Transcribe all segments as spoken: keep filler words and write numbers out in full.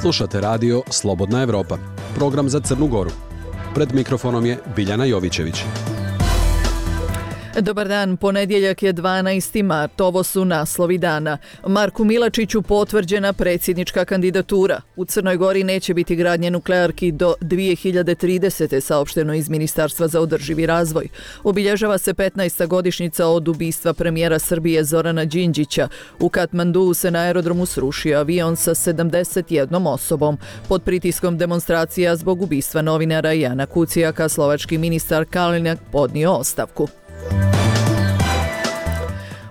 Slušate radio Slobodna Evropa, program za Crnu Goru. Pred mikrofonom je Biljana Jovićević. Dobar dan, ponedjeljak je dvanaesti mart, ovo su naslovi dana. Marku Milačiću potvrđena predsjednička kandidatura. U Crnoj Gori neće biti gradnje nuklearki do dvije hiljade tridesete. saopšteno iz Ministarstva za održivi razvoj. Obilježava se petnaesta godišnjica od ubistva premijera Srbije Zorana Đinđića. U Katmanduu se na aerodromu srušio avion sa sedamdeset jednom osobom. Pod pritiskom demonstracija zbog ubistva novinara Jana Kucijaka, slovački ministar Kalinak podnio ostavku.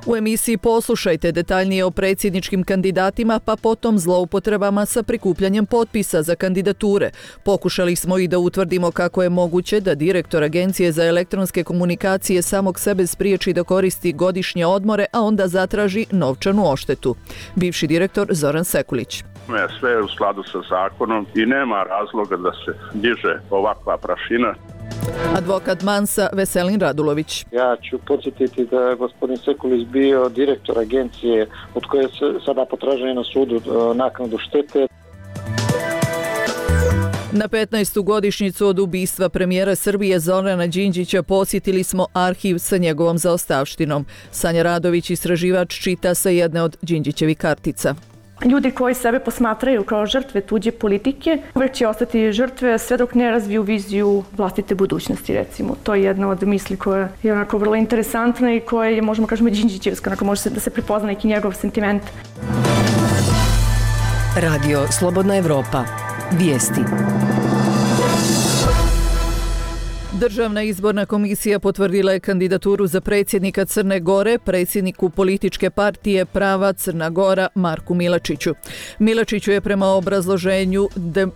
U emisiji poslušajte detaljnije o predsjedničkim kandidatima, pa potom zloupotrebama sa prikupljanjem potpisa za kandidature. Pokušali smo i da utvrdimo kako je moguće da direktor Agencije za elektronske komunikacije samog sebe spriječi da koristi godišnje odmore, a onda zatraži novčanu odštetu. Bivši direktor Zoran Sekulić. Sve je u skladu sa zakonom i nema razloga da se diže ovakva prašina. Advokat Mansa Veselin Radulović. Ja ću podsjetiti da je gospodin Sekulić bio direktor agencije od koje se sada potražuje na sudu naknadu štete. Na petnaestu godišnjicu od ubistva premijera Srbije Zorana Đinđića posjetili smo arhiv sa njegovom zaostavštinom. Sanja Radović, istraživač, čita sa jedne od Đinđićevih kartica. Ljudi koji sebe posmatraju kao žrtve tuđe politike uvijek će ostati žrtve sve dok ne razviju viziju vlastite budućnosti, recimo. To je jedna od misli koja je onako vrlo interesantna i koja je, možemo kažemo, Đinđićevska, onako može se da se prepozna neki njegov sentiment. Radio Slobodna Evropa. Vijesti. Državna izborna komisija potvrdila je kandidaturu za predsjednika Crne Gore, predsjedniku političke partije Prava Crna Gora Marku Milačiću. Milačiću je prema obrazloženju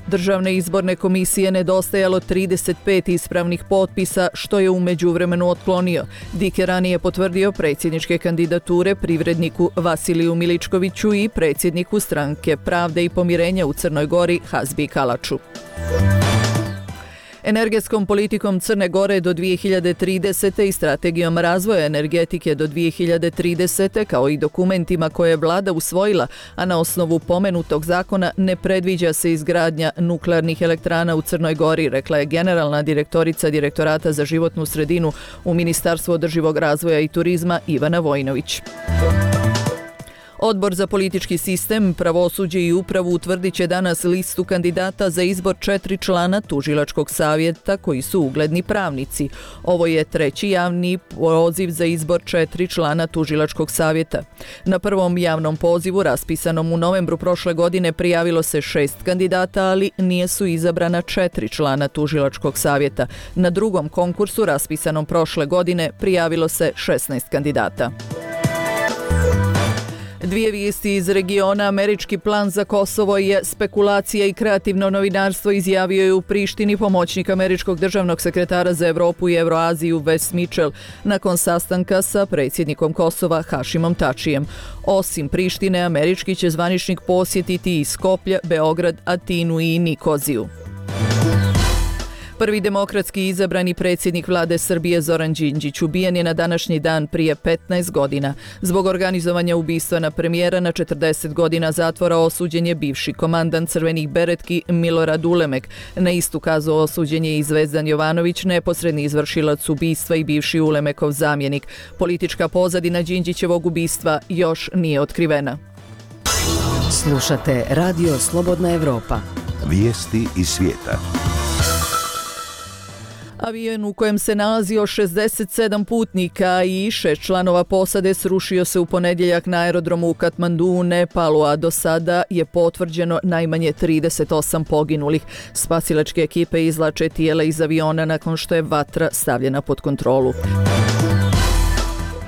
Državne izborne komisije nedostajalo trideset pet ispravnih potpisa, što je u međuvremenu otklonio. D I K je ranije potvrdio predsjedničke kandidature privredniku Vasiliju Miličkoviću i predsjedniku Stranke Pravde i pomirenja u Crnoj Gori Hazbi Kalaču. Energetskom politikom Crne Gore do dvije hiljade tridesete. i strategijom razvoja energetike do dvije hiljade tridesete. kao i dokumentima koje je vlada usvojila, a na osnovu pomenutog zakona ne predviđa se izgradnja nuklearnih elektrana u Crnoj Gori, rekla je generalna direktorica Direktorata za životnu sredinu u Ministarstvu održivog razvoja i turizma Ivana Vojnović. Odbor za politički sistem, pravosuđe i upravu utvrdit će danas listu kandidata za izbor četiri člana tužilačkog savjeta koji su ugledni pravnici. Ovo je treći javni poziv za izbor četiri člana tužilačkog savjeta. Na prvom javnom pozivu, raspisanom u novembru prošle godine, prijavilo se šest kandidata, ali nije su izabrana četiri člana tužilačkog savjeta. Na drugom konkursu, raspisanom prošle godine, prijavilo se šesnaest kandidata. Dvije vijesti iz regiona. Američki plan za Kosovo je spekulacija i kreativno novinarstvo, izjavio je u Prištini pomoćnik američkog državnog sekretara za Evropu i Evroaziju Wes Mitchell nakon sastanka sa predsjednikom Kosova Hašimom Tačijem. Osim Prištine, američki će zvaničnik posjetiti i Skoplje, Beograd, Atinu i Nikoziju. Prvi demokratski izabrani predsjednik vlade Srbije Zoran Đinđić ubijen je na današnji dan prije petnaest godina. Zbog organizovanja ubistva na premijera na četrdeset godina zatvora osuđen je bivši komandant Crvenih beretki Milorad Ulemek. Na istu kaznu osuđen je i Zvezdan Jovanović, neposredni izvršilac ubistva i bivši Ulemekov zamjenik. Politička pozadina Đinđićevog ubistva još nije otkrivena. Slušate Radio Slobodna Evropa. Vijesti iz svijeta. Avion u kojem se nalazio šezdeset sedam putnika i šest članova posade srušio se u ponedjeljak na aerodromu u Katmanduu u Nepalu, a do sada je potvrđeno najmanje trideset osam poginulih. Spasilačke ekipe izvlače tijela iz aviona nakon što je vatra stavljena pod kontrolu.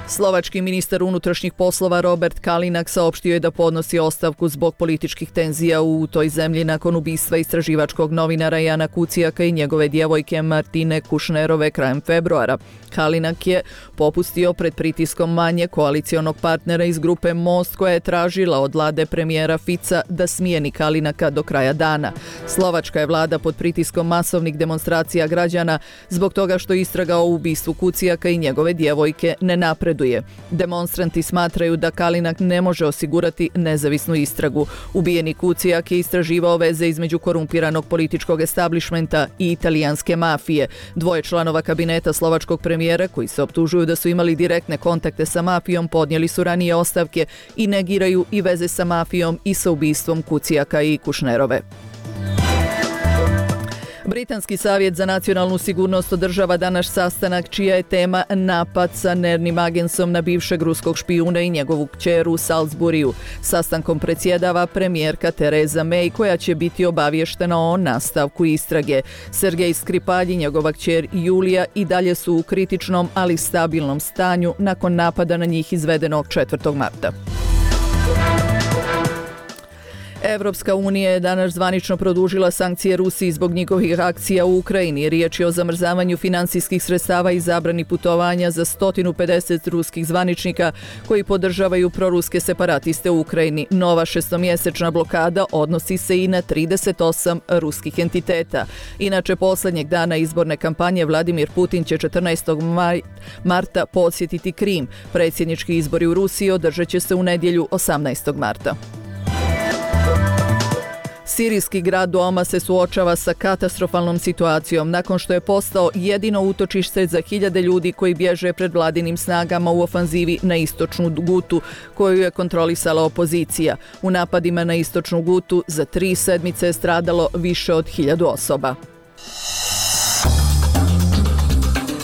Slovački ministar unutrašnjih poslova Robert Kalinak saopštio je da podnosi ostavku zbog političkih tenzija u toj zemlji nakon ubistva istraživačkog novinara Jana Kucijaka i njegove djevojke Martine Kušnerove krajem februara. Kalinak je popustio pred pritiskom manje koalicionog partnera iz grupe Most, koja je tražila od vlade premijera Fica da smijeni Kalinaka do kraja dana. Slovačka je vlada pod pritiskom masovnih demonstracija građana zbog toga što istraga o ubistvu Kucijaka i njegove djevojke ne napreduje napreduje. Demonstranti smatraju da Kalinak ne može osigurati nezavisnu istragu. Ubijeni Kucijak je istraživao veze između korumpiranog političkog establishmenta i italijanske mafije. Dvoje članova kabineta slovačkog premijera, koji se optužuju da su imali direktne kontakte sa mafijom, podnijeli su ranije ostavke i negiraju i veze sa mafijom i sa ubistvom Kucijaka i Kušnerove. Britanski savjet za nacionalnu sigurnost održava danas sastanak čija je tema napad sa nervnim agensom na bivšeg ruskog špijuna i njegovu kćer u Salisburiju. Sastankom predsjedava premijerka Theresa May, koja će biti obavještena o nastavku istrage. Sergej Skripalj i njegova kćer Julija i dalje su u kritičnom, ali stabilnom stanju nakon napada na njih izvedenog četvrtog marta. Evropska unija je danas zvanično produžila sankcije Rusiji zbog njihovih akcija u Ukrajini. Riječ je o zamrzavanju finansijskih sredstava i zabrani putovanja za sto pedeset ruskih zvaničnika koji podržavaju proruske separatiste u Ukrajini. Nova šestomjesečna blokada odnosi se i na trideset osam ruskih entiteta. Inače, posljednjeg dana izborne kampanje Vladimir Putin će četrnaestog marta posjetiti Krim. Predsjednički izbori u Rusiji održat će se u nedjelju osamnaestog marta. Sirijski grad Doma se suočava sa katastrofalnom situacijom nakon što je postao jedino utočište za hiljade ljudi koji bježe pred vladinim snagama u ofanzivi na istočnu Gutu, koju je kontrolisala opozicija. U napadima na istočnu Gutu za tri sedmice je stradalo više od hiljadu osoba.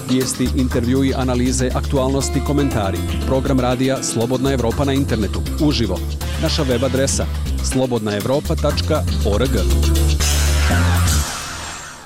Vijesti, intervjui, analize, aktualnosti, komentari. Program radija Slobodna Evropa na internetu. Uživo. Naša web adresa slobodna evropa tačka org.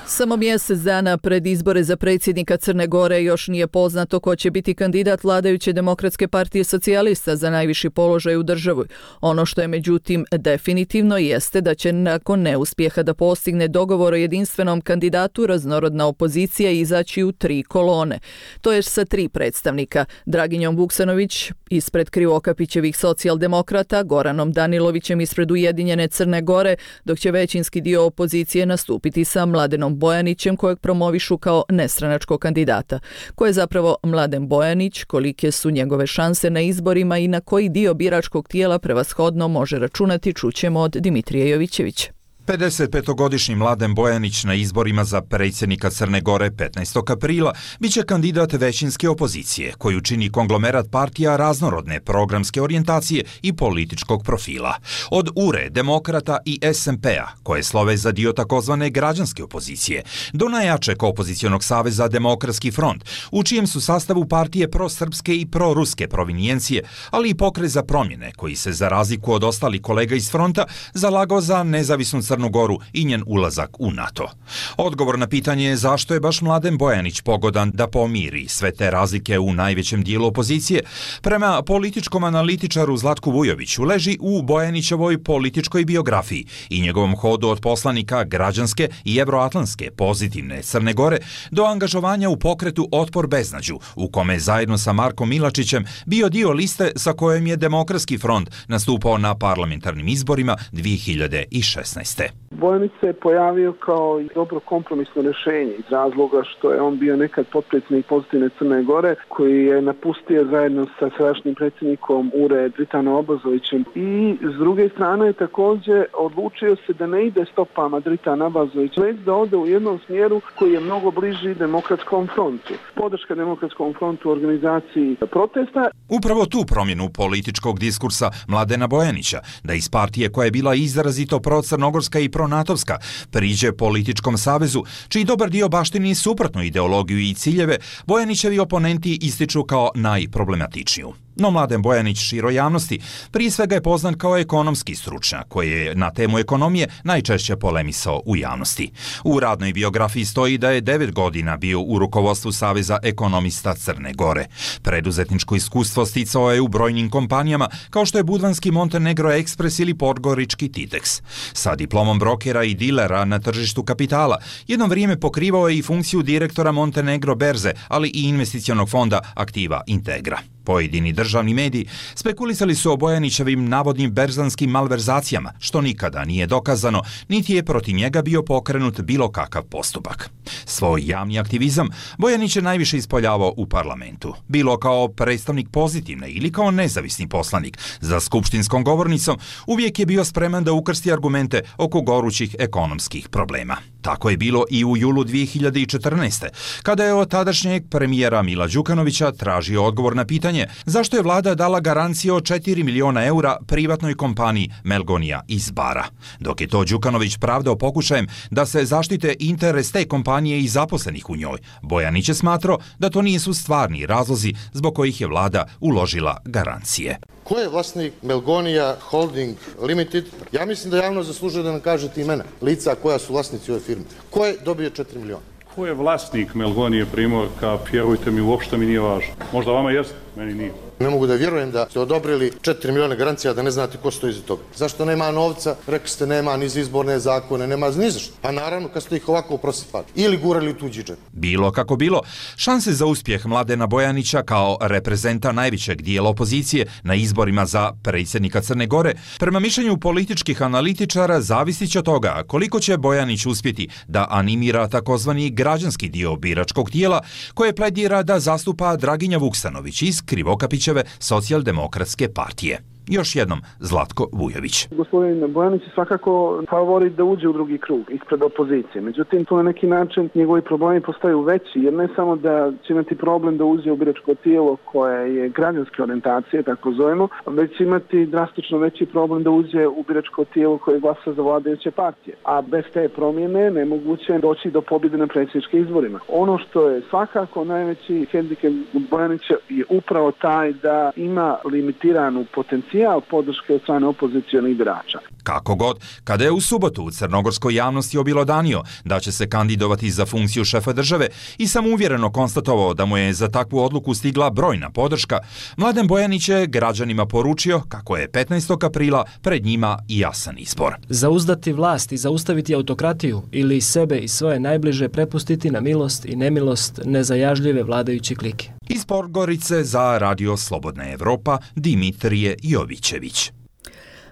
Samo mjesec dana pred izbore za predsjednika Crne Gore još nije poznato ko će biti kandidat vladajuće Demokratske partije socijalista za najviši položaj u državi. Ono što je međutim definitivno jeste da će nakon neuspjeha da postigne dogovor o jedinstvenom kandidatu raznorodna opozicija izaći u tri kolone. To je sa tri predstavnika: Draginjom Vuksanović ispred Krivokapićevih socijaldemokrata, Goranom Danilovićem ispred Ujedinjene Crne Gore, dok će većinski dio opozicije nastupiti sa Mladenom Bojanićem, kojeg promovišu kao nestranačkog kandidata. Ko je zapravo Mladen Bojanić, kolike su njegove šanse na izborima i na koji dio biračkog tijela prevashodno može računati, čućemo od Dimitrija Jovićevića. pedesetpetogodišnji Mladen Bojanić na izborima za predsjednika Crne Gore petnaestog aprila biće kandidat većinske opozicije, koju čini konglomerat partija raznorodne programske orijentacije i političkog profila. Od U R E, Demokrata i S N P-a, koje slove za dio takozvane građanske opozicije, do najjačeg opozicionog saveza Demokratski front, u čijem su sastavu partije prosrpske i proruske provinijencije, ali i Pokret za promjene, koji se za razliku od ostalih kolega iz fronta zalagao za nezavisnu Crnu Goru i njen ulazak u NATO. Odgovor na pitanje je zašto je baš Mladen Bojanić pogodan da pomiri sve te razlike u najvećem dijelu opozicije, prema političkom analitičaru Zlatku Vujoviću leži u Bojanićevoj političkoj biografiji i njegovom hodu od poslanika građanske i evroatlantske pozitivne Crne Gore do angažovanja u pokretu Otpor beznađu, u kome zajedno sa Markom Milačićem bio dio liste sa kojom je Demokratski front nastupao na parlamentarnim izborima dvije hiljade šesnaeste. Bojanić se je pojavio kao dobro kompromisno rješenje iz razloga što je on bio nekad potpredsjednik pozitivne Crne Gore, koji je napustio zajedno sa sadašnjim predsjednikom U R E Dritanom Abazovićem, i s druge strane je također odlučio se da ne ide stopama Dritana Abazovića, već da ode u jednom smjeru koji je mnogo bliži Demokratskom frontu. Podrška Demokratskom frontu u organizaciji protesta. Upravo tu promjenu političkog diskursa Mladena Bojanića, da iz partije koja je bila izrazito procrnogorska i pronatovska priđe političkom savezu, čiji dobar dio baštini suprotnu ideologiju i ciljeve, Bojanićevi oponenti ističu kao najproblematičniju. No Mladen Bojanić široj javnosti prije svega je poznat kao ekonomski stručnjak koji je na temu ekonomije najčešće polemisao u javnosti. U radnoj biografiji stoji da je devet godina bio u rukovodstvu Saveza ekonomista Crne Gore. Preduzetničko iskustvo sticao je u brojnim kompanijama kao što je budvanski Montenegro Express ili podgorički Titex. Sa diplomom brokera i dilera na tržištu kapitala jedno vrijeme pokrivao je i funkciju direktora Montenegro berze, ali i investicionog fonda Aktiva Integra. Pojedini državni mediji spekulisali su o Bojanićevim navodnim berzanskim malverzacijama, što nikada nije dokazano, niti je protiv njega bio pokrenut bilo kakav postupak. Svoj javni aktivizam Bojanić je najviše ispoljavao u parlamentu, bilo kao predstavnik pozitivne ili kao nezavisni poslanik. Za skupštinskom govornicom uvijek je bio spreman da ukrsti argumente oko gorućih ekonomskih problema. Tako je bilo i u julu dvije hiljade četrnaeste. kada je od tadašnjeg premijera Mila Đukanovića tražio odgovor na pitanje zašto je vlada dala garancije od četiri miliona eura privatnoj kompaniji Melgonija iz Bara. Dok je to Đukanović pravdao pokušajem da se zaštite interes te kompanije i zaposlenih u njoj, Bojanić je smatrao da to nisu stvarni razlozi zbog kojih je vlada uložila garancije. Ko je vlasnik Melgonija Holding Limited? Ja mislim da javno zaslužuje da nam kažete imena lica koja su vlasnici ove firme. Ko je dobio četiri miliona? Ko je vlasnik Melgonije Primorka? Vjerujte mi, uopšte mi nije važno. Možda vama jeste, meni nije. Ne mogu da vjerujem da ste odobrili četiri miliona garancija da ne znate ko stoji iza toga. Zašto nema novca? Rekli ste nema ni za izborne zakone, nema ni za što. Pa naravno kad ste ih ovako prosipali ili gurali u tuđi džep. Bilo kako bilo, šanse za uspjeh Mladena Bojanića kao reprezenta najvećeg dijela opozicije na izborima za predsjednika Crne Gore, prema mišljenju političkih analitičara, zavisit će od toga koliko će Bojanić uspjeti da animira takozvani građanski dio biračkog tijela koje pledira da zastupa Draginja Vuksanović iz Krivokapića Socijaldemokratske partije. Još jednom Zlatko Vujović. Gospodin Bojanić je svakako favorit da uđe u drugi krug ispred opozicije. Međutim, to na neki način njegovi problemi postaju veći, jer ne samo da će imati problem da uđe u biračko tijelo koje je građanske orijentacije, tako zovemo, već će imati drastično veći problem da uđe u biračko tijelo koje glasa za vladajuće partije. A bez te promjene nemoguće je doći do pobjede na predsjedničkim izborima. Ono što je svakako najveći hendikep Bojanića je upravo taj da ima limitiranu potencijal podrške od strane opozicionih birača. Kako god, kada je u subotu u crnogorskoj javnosti obilodanio da će se kandidovati za funkciju šefa države i samouvjereno konstatovao da mu je za takvu odluku stigla brojna podrška, Mladen Bojanić je građanima poručio kako je petnaestog aprila pred njima i jasan izbor. Zauzdati vlast i zaustaviti autokratiju ili sebe i svoje najbliže prepustiti na milost i nemilost nezajažljive vladajuće klike. Iz Podgorice za Radio Slobodna Evropa Dimitrije Jovićević.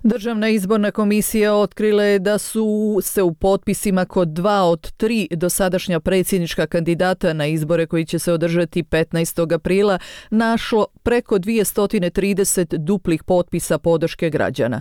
Državna izborna komisija otkrila je da su se u potpisima kod dva od tri dosadašnja predsjednička kandidata na izbore koji će se održati petnaestog aprila našlo preko dvjesto trideset duplih potpisa podrške građana.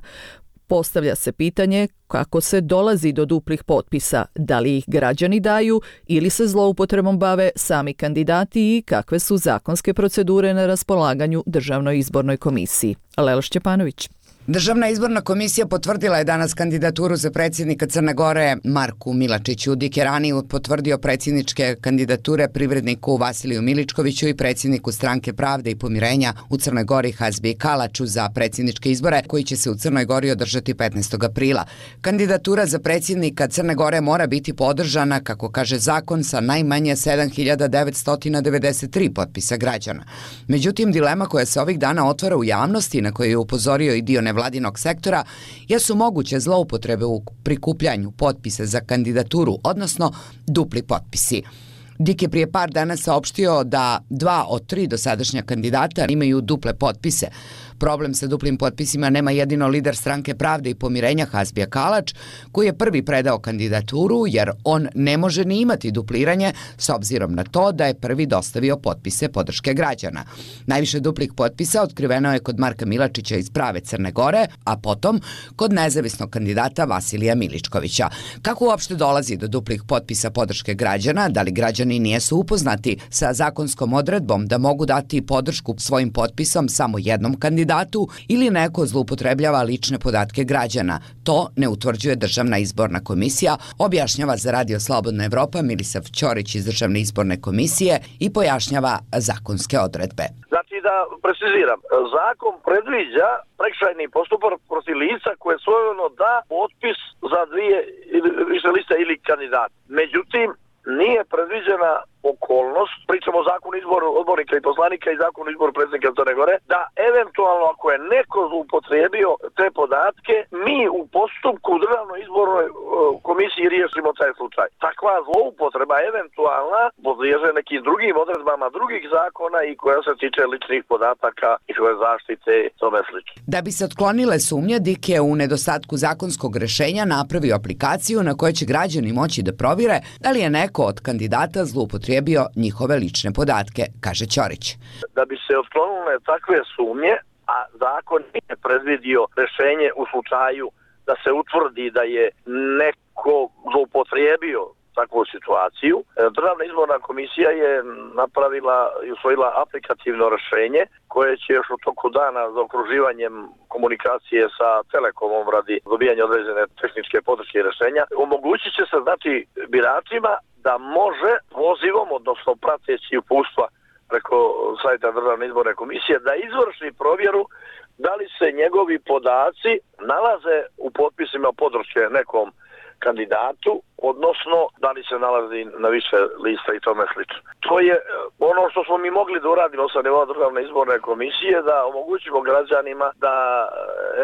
Postavlja se pitanje kako se dolazi do duplih potpisa, da li ih građani daju ili se zloupotrebom bave sami kandidati i kakve su zakonske procedure na raspolaganju Državnoj izbornoj komisiji. Lela Šćepanović. Državna izborna komisija potvrdila je danas kandidaturu za predsjednika Crne Gore Marku Milačiću. Dik je ranije potvrdio predsjedničke kandidature privredniku Vasiliju Miličkoviću i predsjedniku Stranke pravde i pomirenja u Crnoj Gori Hasbiji Kalaču za predsjedničke izbore koji će se u Crnoj Gori održati petnaestog aprila. Kandidatura za predsjednika Crne Gore mora biti podržana, kako kaže zakon, sa najmanje sedam hiljada devetsto devedeset tri potpisa građana. Međutim, dilema koja se ovih dana otvara u javnosti, na koju je upozorio i dio nevladinog sektora, jesu moguće zloupotrebe u prikupljanju potpisa za kandidaturu, odnosno dupli potpisi. Dik je prije par dana saopštio da dva od tri dosadašnja kandidata imaju duple potpise. Problem sa duplim potpisima nema jedino lider Stranke pravde i pomirenja Hasbija Kalač, koji je prvi predao kandidaturu jer on ne može ni imati dupliranje s obzirom na to da je prvi dostavio potpise podrške građana. Najviše duplih potpisa otkriveno je kod Marka Milačića iz prave Crne Gore, a potom kod nezavisnog kandidata Vasilija Miličkovića. Kako uopšte dolazi do duplih potpisa podrške građana? Da li građani nijesu upoznati sa zakonskom odredbom da mogu dati podršku svojim potpisom samo jednom kandidatu ili neko zloupotrebljava lične podatke građana? To ne utvrđuje Državna izborna komisija, objašnjava za Radio Slobodna Evropa Milisav Ćorić iz Državne izborne komisije i pojašnjava zakonske odredbe. Znači da preciziram, zakon predviđa prekršajni postupak protiv lica koje svojevoljno da potpis za dvije ili više liste ili kandidat. Međutim, nije predviđena okolnost, pričamo o zakonu izboru odbornika i poslanika i zakonu izboru predsjednika Crne Gore, da eventualno ako je neko zloupotrijebio te podatke, mi u postupku u državnoj izbornoj komisiji riješimo taj slučaj. Takva zloupotreba eventualna podliježe nekim drugim odredbama drugih zakona i koja se tiče ličnih podataka i svoje zaštite i tome slično. Da bi se otklonile sumnje, D I K je u nedostatku zakonskog rešenja napravio aplikaciju na kojoj će građani moći da provire da li je neko od kandidata zloupotrijebio njihove lične podatke, kaže Ćorić. Da bi se otklonile takve sumnje, a zakon nije predvidio rešenje u slučaju da se utvrdi da je neko zloupotrijebio takvu situaciju, Državna izborna komisija je napravila i usvojila aplikativno rešenje koje će još u toku dana za okruživanjem komunikacije sa Telekomom radi dobijanja određene tehničke podrške i rešenja omogućit će se znači biračima da može pozivom, odnosno prateći uputstva preko sajta Državne izborne komisije, da izvrši provjeru da li se njegovi podaci nalaze u potpisima podrške nekom kandidatu, odnosno da li se nalazi na više lista i tome slično. To je ono što smo mi mogli da uradimo sa nivoa Državne izborne komisije, da omogućimo građanima da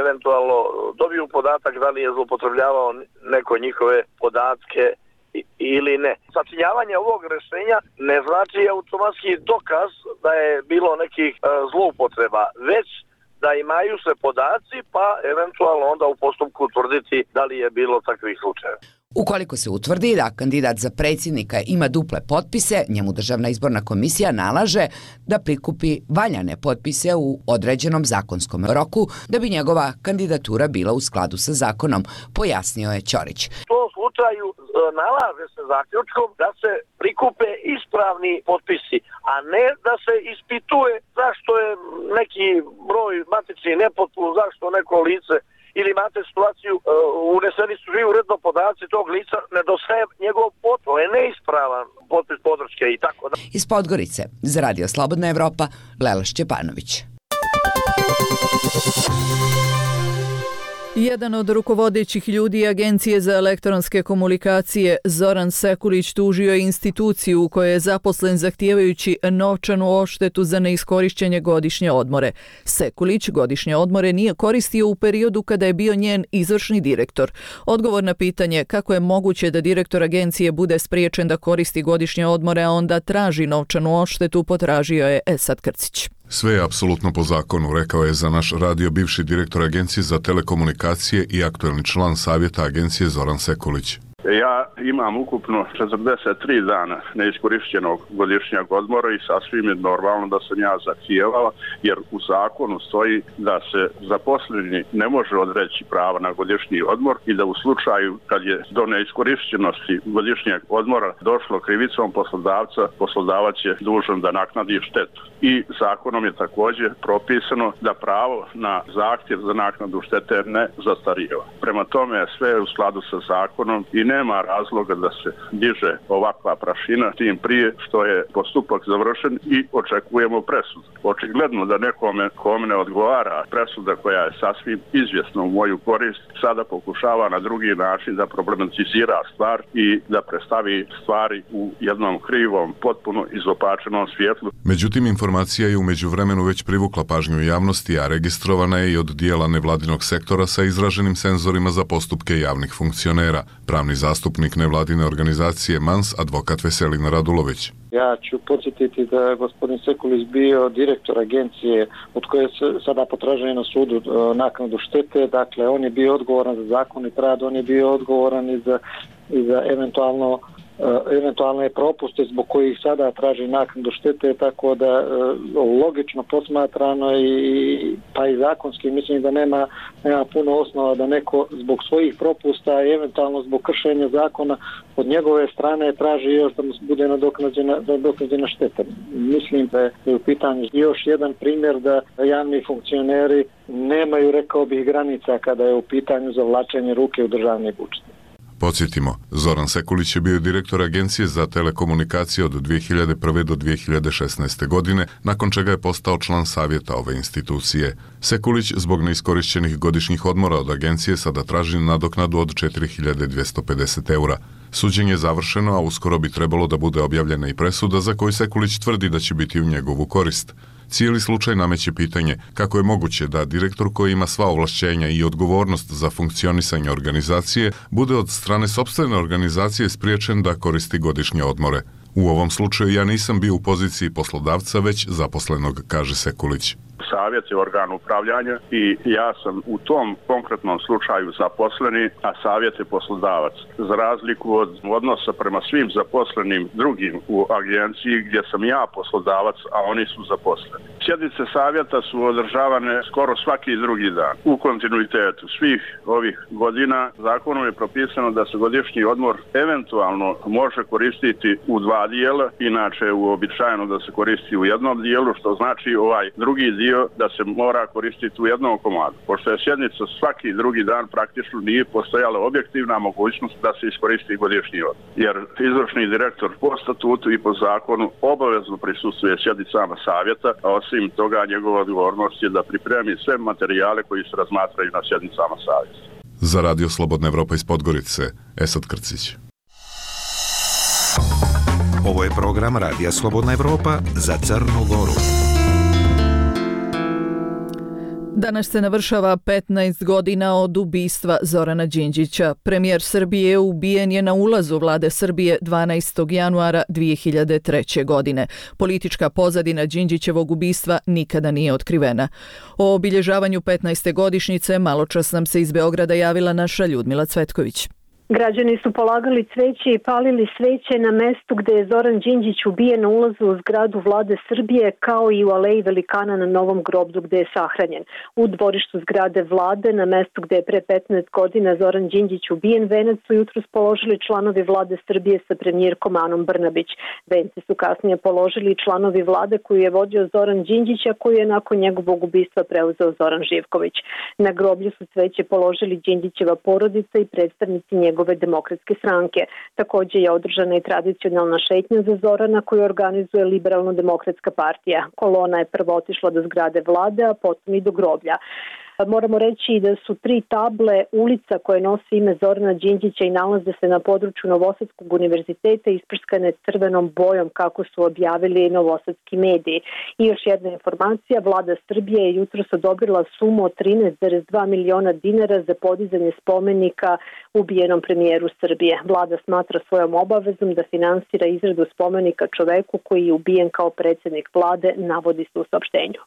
eventualno dobiju podatak da li je zloupotrebljavao neko njihove podatke ili ne. Sačinjavanje ovog rešenja ne znači automatski dokaz da je bilo nekih e, zloupotreba, već da imaju se podaci pa eventualno onda u postupku utvrditi da li je bilo takvih slučajeva. Ukoliko se utvrdi da kandidat za predsjednika ima duple potpise, njemu Državna izborna komisija nalaže da prikupi valjane potpise u određenom zakonskom roku da bi njegova kandidatura bila u skladu sa zakonom, pojasnio je Ćorić. U tom slučaju nalaže se zaključkom da se prikupe ispravni potpisi, a ne da se ispituje zašto je neki broj matični nepotpun, zašto neko lice ili imate situaciju uh, uneseni su živi uredno podaci tog lica, nedostaje njegov potpis, to je neispravan potpis podrške i tako da. Iz Podgorice, za Radio Slobodna Evropa, Lela Šćepanović. Jedan od rukovodećih ljudi Agencije za elektronske komunikacije, Zoran Sekulić, tužio je instituciju u kojoj je zaposlen zahtijevajući novčanu odštetu za neiskorišćenje godišnje odmore. Sekulić godišnje odmore nije koristio u periodu kada je bio njen izvršni direktor. Odgovor na pitanje kako je moguće da direktor agencije bude spriječen da koristi godišnje odmore, a onda traži novčanu odštetu, potražio je Esad Krcić. Sve je apsolutno po zakonu, rekao je za naš radio bivši direktor Agencije za telekomunikacije i aktuelni član savjeta Agencije Zoran Sekulić. Ja imam ukupno četrdeset tri dana neiskorišćenog godišnjeg odmora i sasvim je normalno da sam ja zahtijevao, jer u zakonu stoji da se zaposleni ne može odreći prava na godišnji odmor i da u slučaju kad je do neiskorišćenosti godišnjeg odmora došlo krivicom poslodavca, poslodavac je dužan da naknadi štetu. I zakonom je također propisano da pravo na zahtjev za naknadu štete ne zastarijeva. Prema tome sve je u skladu sa zakonom i nema razloga da se diže ovakva prašina, tim prije što je postupak završen i očekujemo presudu. Očigledno da nekome kome ne odgovara presuda koja je sasvim izvjesna u moju korist, sada pokušava na drugi način da problematizira stvar i da predstavi stvari u jednom krivom, potpuno izopačenom svjetlu. Međutim, informacija je u međuvremenu već privukla pažnju javnosti, a registrovana je i od dijela nevladinog sektora sa izraženim senzorima za postupke javnih funkcionera. Pravni zastupnik nevladine organizacije Mans, advokat Veselin Radulović. Ja ću podsjetiti da je gospodin Sekulić bio direktor agencije od koje se sada potražuje na sudu naknadu štete. Dakle, on je bio odgovoran za zakonit rad, on je bio odgovoran i za, i za eventualno eventualne propuste zbog kojih sada traži naknadu štete, tako da logično posmatrano i pa i zakonski mislim da nema, nema puno osnova da neko zbog svojih propusta i eventualno zbog kršenja zakona od njegove strane traži još da mu bude nadoknađena, nadoknađena šteta. Mislim da je u pitanju još jedan primjer da javni funkcioneri nemaju, rekao bih, granica kada je u pitanju zavlačenje ruke u državni budžet. Podsjetimo, Zoran Sekulić je bio direktor Agencije za telekomunikacije od dvije hiljade prve do dvije hiljade šesnaeste. godine, nakon čega je postao član savjeta ove institucije. Sekulić zbog neiskorišćenih godišnjih odmora od agencije sada traži nadoknadu od četiri hiljade dvjesto pedeset eura. Suđenje je završeno, a uskoro bi trebalo da bude objavljena i presuda za koju Sekulić tvrdi da će biti u njegovu korist. Cijeli slučaj nameće pitanje kako je moguće da direktor koji ima sva ovlašćenja i odgovornost za funkcionisanje organizacije bude od strane sopstvene organizacije spriječen da koristi godišnje odmore. U ovom slučaju ja nisam bio u poziciji poslodavca, već zaposlenog, kaže Sekulić. Savjet je organ upravljanja i ja sam u tom konkretnom slučaju zaposleni, a savjet je poslodavac. Za razliku od odnosa prema svim zaposlenim drugim u agenciji gdje sam ja poslodavac, a oni su zaposleni. Sjednice savjeta su održavane skoro svaki drugi dan u kontinuitetu svih ovih godina. Zakonom je propisano da se godišnji odmor eventualno može koristiti u dva dijela, inače uobičajeno da se koristi u jednom dijelu, što znači ovaj drugi dio da se mora koristiti u jednom komadu. Pošto je sjednica svaki drugi dan, praktično nije postojala objektivna mogućnost da se iskoristi godišnji odmor. Jer izvršni direktor po statutu i po zakonu obavezno prisustvuje sjednicama savjeta, a osim toga njegova odgovornost je da pripremi sve materijale koji se razmatraju na sjednicama savjeta. Za Radio Slobodna Evropa iz Podgorice, Esad Krcić. Ovo je program Radija Slobodna Evropa za Crnu Goru. Danas se navršava petnaest godina od ubistva Zorana Đinđića. Premijer Srbije ubijen je na ulazu vlade Srbije dvanaestog januara dvije hiljade treće. godine. Politička pozadina Đinđićevog ubistva nikada nije otkrivena. O obilježavanju petnaeste godišnjice maločas nam se iz Beograda javila naša Ljudmila Cvetković. Građani su polagali cveće i palili sveće na mestu gde je Zoran Đinđić ubijen na ulazu u zgradu vlade Srbije, kao i u aleji velikana na Novom groblju gde je sahranjen. U dvorištu zgrade vlade, na mestu gde je pre petnaest godina Zoran Đinđić ubijen, venac su jutros položili članovi vlade Srbije sa premijerkom Anom Brnabić. Venci su kasnije položili članovi vlade koju je vodio Zoran Đinđić, a koju je nakon njegovog ubistva preuzeo Zoran Živković. Na groblju su cveće položili Đinđićeva porodica i predstavnici njegove njegove demokratske stranke. Također je održana i tradicionalna šetnja za Zorana koju organizuje Liberalno-demokratska partija. Kolona je prvo otišla do zgrade vlade, a potom i do groblja. Moramo reći da su tri table ulica koje nosi ime Zorana Đinđića i nalaze se na području Novosadskog univerziteta isprskane crvenom bojom, kako su objavili novosadski mediji. I još jedna informacija, vlada Srbije je jutros odobrila sumu od trinaest zarez dva miliona dinara za podizanje spomenika ubijenom premijeru Srbije. Vlada smatra svojom obavezom da finansira izradu spomenika čoveku koji je ubijen kao predsjednik vlade, navodi se u saopštenju.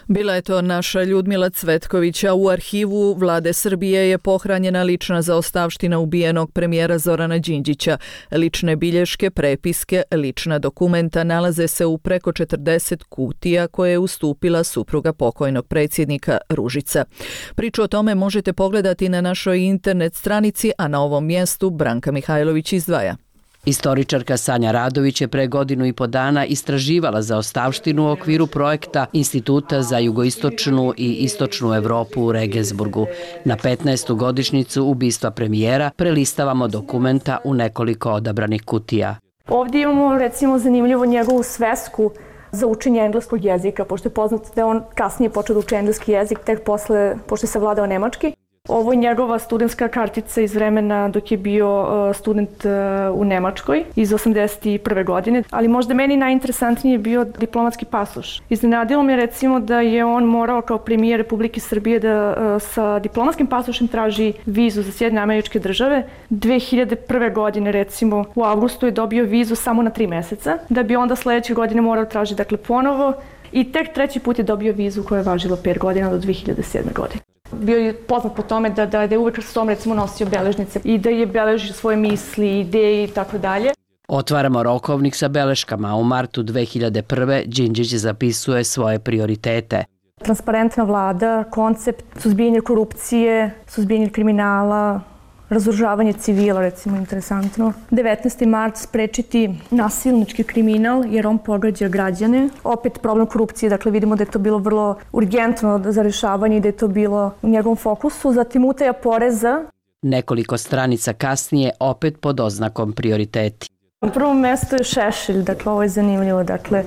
Bila je to naša Ljudmila Cvetković, a u arhivu vlade Srbije je pohranjena lična zaostavština ubijenog premijera Zorana Đinđića. Lične bilješke, prepiske, lična dokumenta nalaze se u preko četrdeset kutija koje je ustupila supruga pokojnog predsjednika Ružica. Priču o tome možete pogledati na našoj internet stranici, a na ovom mjestu Branka Mihajlović izdvaja. Istoričarka Sanja Radović je pre godinu i po dana istraživala zaostavštinu u okviru projekta Instituta za jugoistočnu i istočnu Evropu u Regensburgu. Na petnaestu godišnjicu ubistva premijera prelistavamo dokumenta u nekoliko odabranih kutija. Ovdje imamo recimo zanimljivo njegovu svesku za učenje engleskog jezika, pošto je poznato da je on kasnije počeo da uči engleski jezik, tek posle, pošto je savladao nemački. Ovo je njegova studentska kartica iz vremena dok je bio student u Nemačkoj iz osamdeset prve. godine, ali možda meni najinteresantniji je bio diplomatski pasoš. Iznenadilo me recimo da je on morao kao premijer Republike Srbije da sa diplomatskim pasošem traži vizu za Sjedinjene Američke Države. dve hiljade prve. godine recimo u avgustu je dobio vizu samo na tri mjeseca, da bi onda sljedeće godine morao tražiti dakle ponovo i tek treći put je dobio vizu koja je važila pet godina do dve hiljade sedme. godine. Bio je poznat po tome da, da, da je uvek sa tom recimo nosio beležnice i da je beležio svoje misli, ideje i tako dalje. Otvaramo rokovnik sa beleškama. U martu dve hiljade prve. Đinđić zapisuje svoje prioritete. Transparentna vlada, koncept suzbijanja korupcije, suzbijanja kriminala, razoružavanje civila, recimo, interesantno. devetnaesti mart sprečiti nasilnički kriminal jer on pogađa građane. Opet problem korupcije, dakle vidimo da je to bilo vrlo urgentno za rješavanje i da je to bilo u njegovom fokusu. Zatim utaja poreza. Nekoliko stranica kasnije opet pod oznakom prioriteti. Na prvom mjestu je Šešelj, dakle ovo je zanimljivo, dakle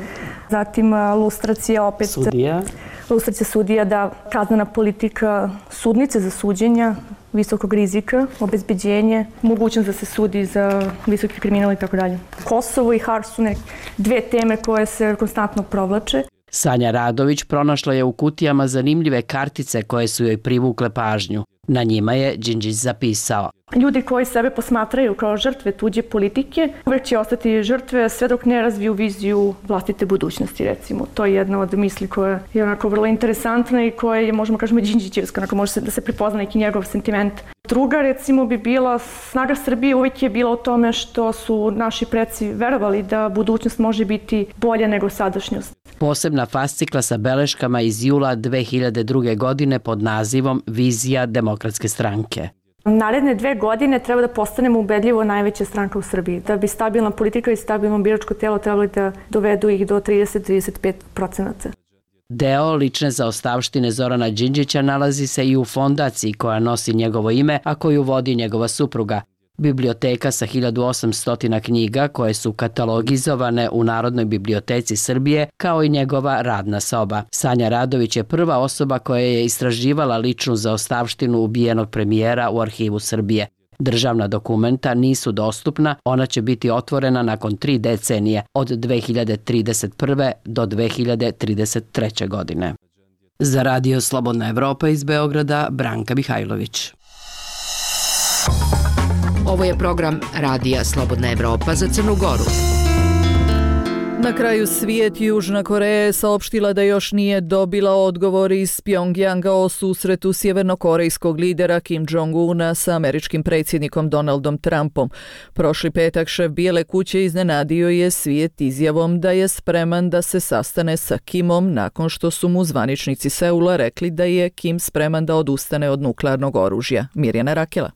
zatim lustracija opet. Sudija. Lustracija sudija, da kaznena politika sudnice za suđenja, visokog rizika, obezbeđenje, mogućnost da se sudi za visoki kriminal i tako dalje. Kosovo i Hars su nek dve teme koje se konstantno provlače. Sanja Radović pronašla je u kutijama zanimljive kartice koje su joj privukle pažnju. Na njima je Đinđić zapisao: Ljudi koji sebe posmatraju kao žrtve tuđe politike uvek će ostati žrtve sve dok ne razviju viziju vlastite budućnosti, recimo. To je jedna od misli koja je onako vrlo interesantna i koja je, možemo kažemo, Đinđićevska, onako može se da se prepozna neki njegov sentiment. Druga, recimo, bi bila snaga Srbije uvek je bila u tome što su naši preci verovali da budućnost može biti bolja nego sadašnjost. Posebna fascikla sa beleškama iz jula dve hiljade druge. godine pod nazivom Vizija demokratske stranke. Naredne dve godine treba da postanemo ubedljivo najveća stranka u Srbiji. Da bi stabilna politika i stabilno biračko telo trebali da dovedu ih do trideset do trideset pet procenata. Deo lične zaostavštine Zorana Đinđića nalazi se i u fondaciji koja nosi njegovo ime, a koju vodi njegova supruga. Biblioteka sa hiljadu osamsto knjiga koje su katalogizovane u Narodnoj biblioteci Srbije, kao i njegova radna soba. Sanja Radović je prva osoba koja je istraživala ličnu zaostavštinu ubijenog premijera u Arhivu Srbije. Državna dokumenta nisu dostupna, ona će biti otvorena nakon tri decenije, od dve hiljade trideset prve. do dve hiljade trideset treće. godine. Za Radio Slobodna Evropa iz Beograda, Branka Mihajlović. Ovo je program Radija Slobodna Evropa za Crnu Goru. Na kraju svijet Južna Koreja je saopštila da još nije dobila odgovor iz Pjongjanga o susretu sjevernokorejskog lidera Kim Jong-una sa američkim predsjednikom Donaldom Trumpom. Prošli petak šef Bijele kuće iznenadio je svijet izjavom da je spreman da se sastane sa Kimom nakon što su mu zvaničnici Seula rekli da je Kim spreman da odustane od nuklearnog oružja. Mirjana Rakela.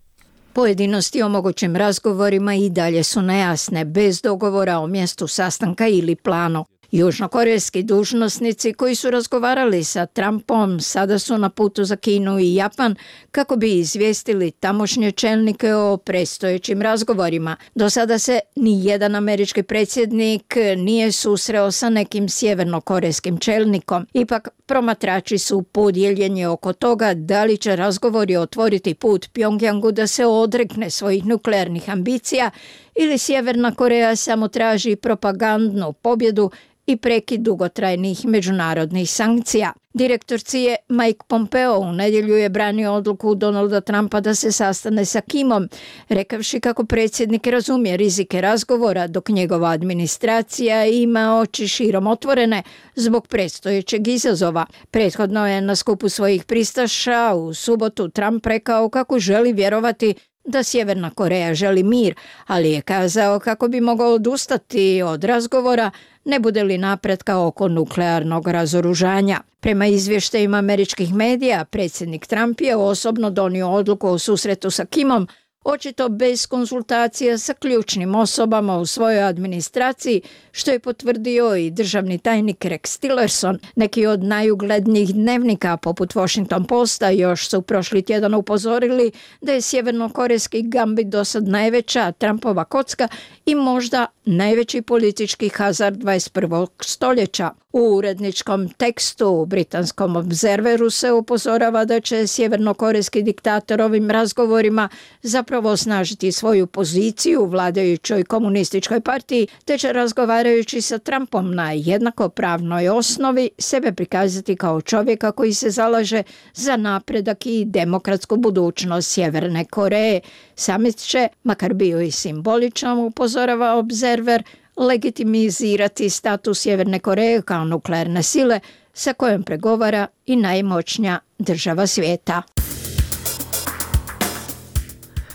Pojedinosti o mogućim razgovorima i dalje su nejasne, bez dogovora o mjestu sastanka ili planu. Južnokorejski dužnosnici koji su razgovarali sa Trumpom sada su na putu za Kinu i Japan kako bi izvijestili tamošnje čelnike o predstojećim razgovorima. Do sada se ni jedan američki predsjednik nije susreo sa nekim sjevernokorejskim čelnikom. Ipak promatrači su podijeljeni oko toga da li će razgovori otvoriti put Pjongjangu da se odrekne svojih nuklearnih ambicija ili Sjeverna Koreja samo traži propagandnu pobjedu i prekid dugotrajnih međunarodnih sankcija. Direktor C I A Mike Pompeo u nedjelju je branio odluku Donalda Trumpa da se sastane sa Kimom, rekavši kako predsjednik razumije rizike razgovora dok njegova administracija ima oči širom otvorene zbog predstojećeg izazova. Prethodno je na skupu svojih pristaša u subotu Trump rekao kako želi vjerovati da Sjeverna Koreja želi mir, ali je kazao kako bi mogao odustati od razgovora ne bude li napretka oko nuklearnog razoružanja. Prema izvještajima američkih medija, predsjednik Trump je osobno donio odluku o susretu sa Kimom, očito bez konsultacija sa ključnim osobama u svojoj administraciji, što je potvrdio i državni tajnik Rex Tillerson. Neki od najuglednijih dnevnika, poput Washington Posta, još su prošli tjedan upozorili da je sjevernokorejski gambit dosad najveća Trumpova kocka i možda najveći politički hazard dvadeset prvog stoljeća. U uredničkom tekstu u britanskom Observeru se upozorava da će sjevernokorejski diktator ovim razgovorima zapravo osnažiti svoju poziciju u vladajućoj komunističkoj partiji, te će razgovarajući sa Trumpom na jednakopravnoj osnovi sebe prikazati kao čovjeka koji se zalaže za napredak i demokratsku budućnost Sjeverne Koreje. Samit će, makar bio i simboličan, upozorava Observer, legitimizirati status Sjeverne Koreje kao nuklearne sile sa kojom pregovara i najmoćnija država svijeta.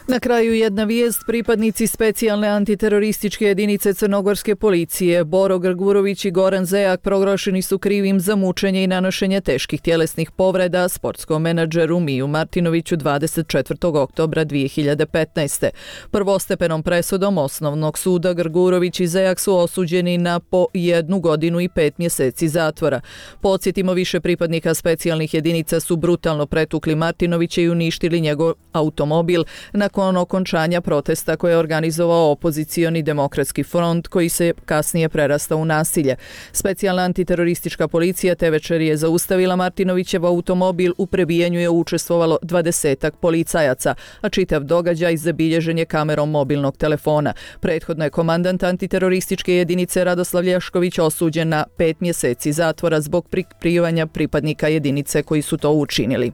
Na kraju jedna vijest, pripadnici specijalne antiterorističke jedinice crnogorske policije Boro Grgurović i Goran Zejak proglašeni su krivim za mučenje i nanošenje teških tjelesnih povreda sportskom menadžeru Miju Martinoviću dvadeset četvrtog oktobra dvije hiljade petnaeste. Prvostepenom presudom Osnovnog suda Grgurović i Zejak su osuđeni na po jednu godinu i pet mjeseci zatvora. Podsjetimo, više pripadnika specijalnih jedinica su brutalno pretukli Martinovića i uništili njegov automobil, na nakon okončanja protesta koje je organizovao opozicioni demokratski front koji se kasnije prerastao u nasilje. Specijalna antiteroristička policija te večer je zaustavila Martinovićev automobil, u prebijanju je učestvovalo dvadesetak policajaca, a čitav događaj zabilježen je kamerom mobilnog telefona. Prethodno je komandant antiterorističke jedinice Radoslav Lješković osuđen na pet mjeseci zatvora zbog prikrivanja pripadnika jedinice koji su to učinili.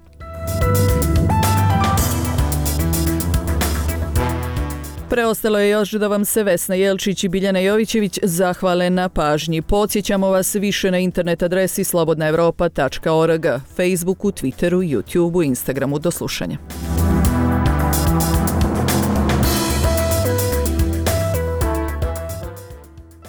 Preostalo je još da vam se Vesna Jelčić i Biljana Jovićević zahvale na pažnji. Podsjećamo vas više na internet adresi slobodna evropa tačka org, Facebooku, Twitteru, YouTubeu, Instagramu. Do slušanja.